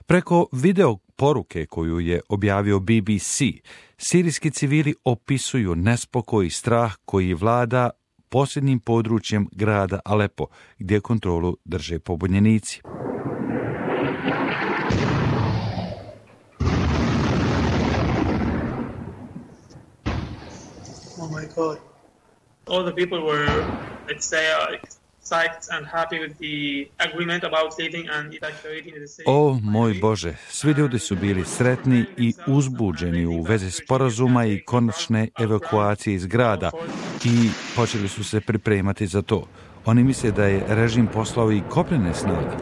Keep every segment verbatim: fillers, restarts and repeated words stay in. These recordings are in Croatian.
Preko video poruke koju je objavio B B C, sirijski civili opisuju nespokoj i strah koji vlada posljednjim područjem grada Alepo, gdje kontrolu drže pobunjenici. Oh my God. All the people were, let's say, uh, psyched and happy with the agreement about living and evacuating the city. O moj Bože, svi ljudi su bili sretni i uzbuđeni u vezi sporazuma i konačne evakuacije iz grada i počeli su se pripremati za to. Oni misle da je režim poslao i kopnene snage.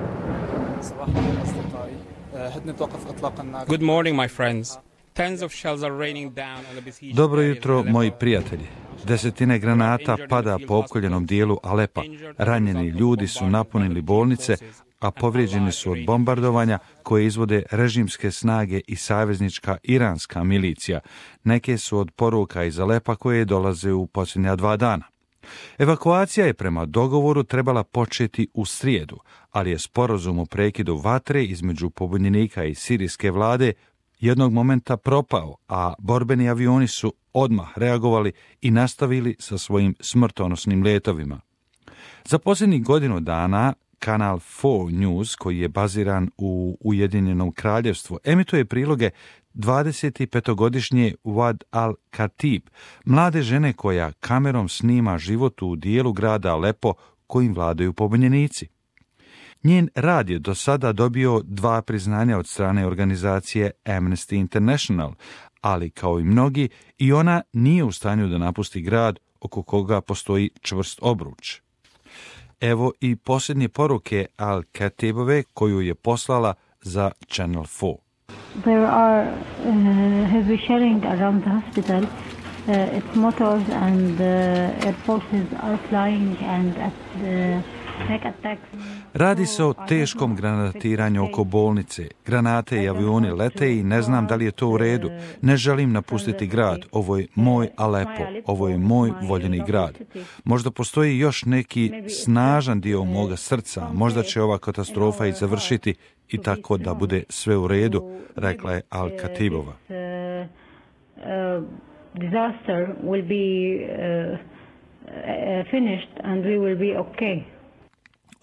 Good morning, my friends. Tens of shells are raining down on the besieged. Dobro jutro, moji prijatelji. Desetine granata pada po opkoljenom dijelu Alepa. Ranjeni ljudi su napunili bolnice, a povrijeđeni su od bombardovanja koje izvode režimske snage i saveznička iranska milicija. Neke su od poruka iz Alepa koje dolaze u posljednja dva dana. Evakuacija je prema dogovoru trebala početi u srijedu, ali je sporazum o prekidu vatre između pobunjenika i sirijske vlade jednog momenta propao, a borbeni avioni su odmah reagovali i nastavili sa svojim smrtonosnim letovima. Za posljednjih godinu dana kanal četiri News, koji je baziran u Ujedinjenom kraljevstvu, emituje priloge dvadesetpetogodišnje Wad al-Khatib, mlade žene koja kamerom snima život u dijelu grada Alepo kojim vladaju pobunjenici. Njen rad je do sada dobio dva priznanja od strane organizacije Amnesty International, ali kao i mnogi, i ona nije u stanju da napusti grad oko koga postoji čvrst obruč. Evo i posljednje poruke Al-Khatibove koju je poslala za Channel četiri. There are uh, heavy shelling around the hospital. Uh, its motors and uh, air forces are flying and at the Radi se o teškom granatiranju oko bolnice. Granate i avioni lete i ne znam da li je to u redu. Ne želim napustiti grad. Ovo je moj Alepo. Ovo je moj voljeni grad. Možda postoji još neki snažan dio moga srca. Možda će ova katastrofa i završiti i tako da bude sve u redu, rekla je Al-Khatibova. Disaster will be uh, finished and we will be okay.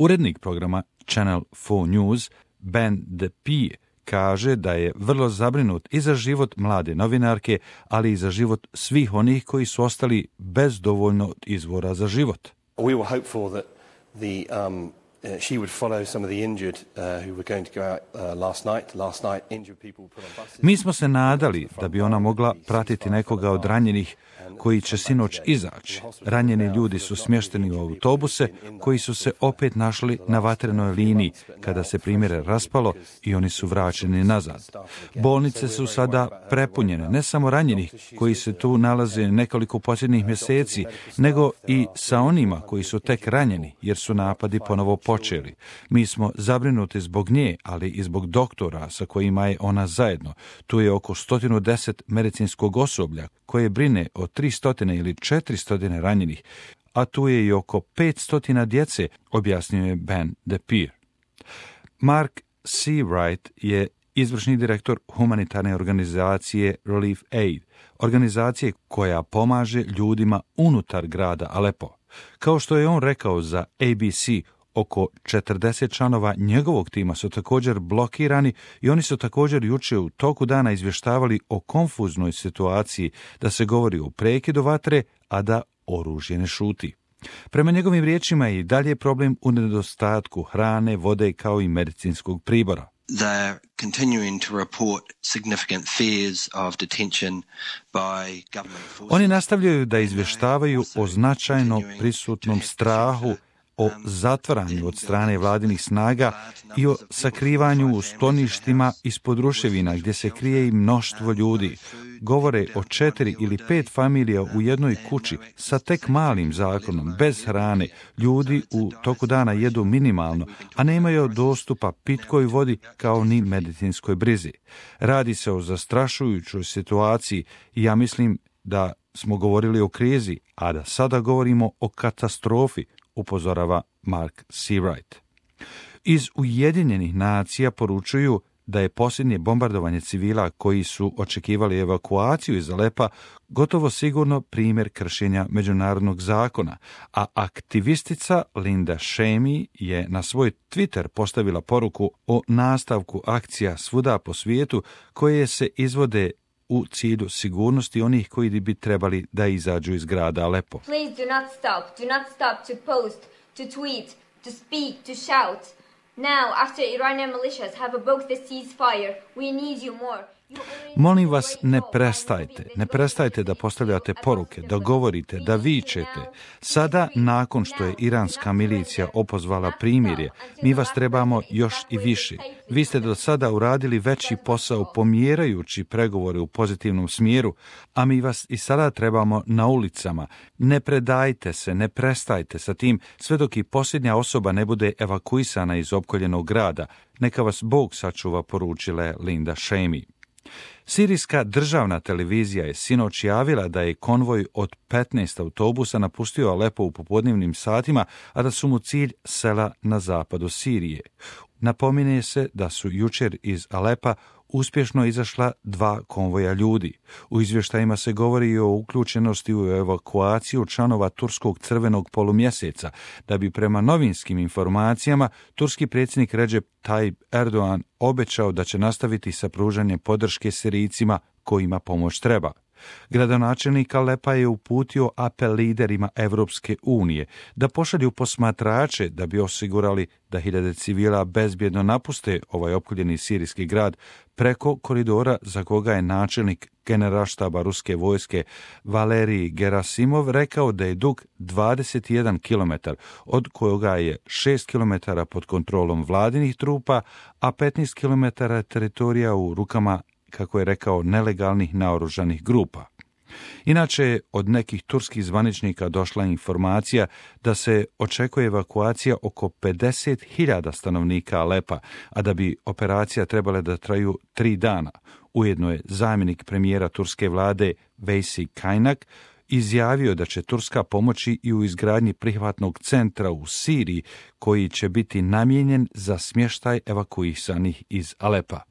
Urednik programa Channel četiri News, Ben DePie, kaže da je vrlo zabrinut i za život mlade novinarke, ali i za život svih onih koji su ostali bez dovoljno izvora za život. We were hopeful that the um Uh, she would follow some of the injured uh, who were going to go out uh, last night. Last night, injured people put on buses. Mi smo se nadali da bi ona mogla pratiti nekoga od ranjenih koji će sinoć izaći. Ranjeni ljudi su smješteni u autobuse koji su se opet našli na vatrenoj liniji kada se primjere raspalo i oni su vraćeni nazad. Bolnice su sada prepunjene, ne samo ranjenih koji se tu nalaze nekoliko posljednjih mjeseci, nego i sa onima koji su tek ranjeni jer su napadi ponovo počeli. Mi smo zabrinuti zbog nje, ali i zbog doktora sa kojima je ona zajedno. Tu je oko sto deset medicinskog osoblja koje brine o tristo ili četiristo ranjenih, a tu je i oko petsto djece, objasnio je Ben DePie. Mark Seawright je izvršni direktor humanitarne organizacije Relief Aid, organizacije koja pomaže ljudima unutar grada Alepo. Kao što je on rekao za A B C, oko četrdeset članova njegovog tima su također blokirani i oni su također jučer u toku dana izvještavali o konfuznoj situaciji da se govori o prekidu vatre, a da oružje ne šuti. Prema njegovim riječima je i dalje problem u nedostatku hrane, vode kao i medicinskog pribora. They're continuing to report significant fears of detention by government forces. Oni nastavljaju da izvještavaju o značajno prisutnom strahu, o zatvaranju od strane vladinih snaga i o sakrivanju u skloništima ispod ruševina gdje se krije i mnoštvo ljudi. Govore o četiri ili pet familija u jednoj kući sa tek malim zakonom, bez hrane. Ljudi u toku dana jedu minimalno, a nemaju dostupa pitkoj vodi kao ni medicinskoj brizi. Radi se o zastrašujućoj situaciji i ja mislim da smo govorili o krizi, a da sada govorimo o katastrofi, upozorava Mark Seawright. Iz Ujedinjenih nacija poručuju da je posljednje bombardovanje civila koji su očekivali evakuaciju iz Alepa gotovo sigurno primjer kršenja međunarodnog zakona, a aktivistica Linda Shamey je na svoj Twitter postavila poruku o nastavku akcija svuda po svijetu koje se izvode u cilju sigurnosti onih koji bi trebali da izađu iz grada Alepo. Please do not stop, do not stop to post, to tweet, to speak, to shout. Now, after Iranian militias have evoked the ceasefire, we need you more. Molim vas, ne prestajte, ne prestajte da postavljate poruke, da govorite, da vičete. Sada, nakon što je iranska milicija opozvala primirje, mi vas trebamo još i više. Vi ste do sada uradili veći posao pomjerajući pregovore u pozitivnom smjeru, a mi vas i sada trebamo na ulicama. Ne predajte se, ne prestajte sa tim, sve dok i posljednja osoba ne bude evakuisana iz opkoljenog grada. Neka vas Bog sačuva, poručila je Linda Shamey. Sirijska državna televizija je sinoć javila da je konvoj od petnaest autobusa napustio Alepo u popodnevnim satima, a da su mu cilj sela na zapadu Sirije. Napominje se da su jučer iz Alepa uspješno izašla dva konvoja ljudi. U izvještajima se govori i o uključenosti u evakuaciju članova turskog crvenog polumjeseca, da bi prema novinskim informacijama turski predsjednik Recep Tayyip Erdogan obećao da će nastaviti sa pružanjem podrške Sirijcima kojima pomoć treba. Gradonačelnik Alepa je uputio apel liderima Evropske unije da pošalju posmatrače da bi osigurali da hiljade civila bezbjedno napuste ovaj opkoljeni sirijski grad preko koridora za koga je načelnik generalštaba ruske vojske Valerij Gerasimov rekao da je dug dvadeset jedan kilometar, od kojega je šest kilometara pod kontrolom vladinih trupa, a petnaest kilometara teritorija u rukama, kako je rekao, nelegalnih naoružanih grupa. Inače, od nekih turskih zvaničnika došla informacija da se očekuje evakuacija oko pedeset hiljada stanovnika Alepa, a da bi operacija trebala da traju tri dana. Ujedno je zamjenik premijera turske vlade Veysi Kaynak izjavio da će Turska pomoći i u izgradnji prihvatnog centra u Siriji koji će biti namijenjen za smještaj evakuisanih iz Alepa.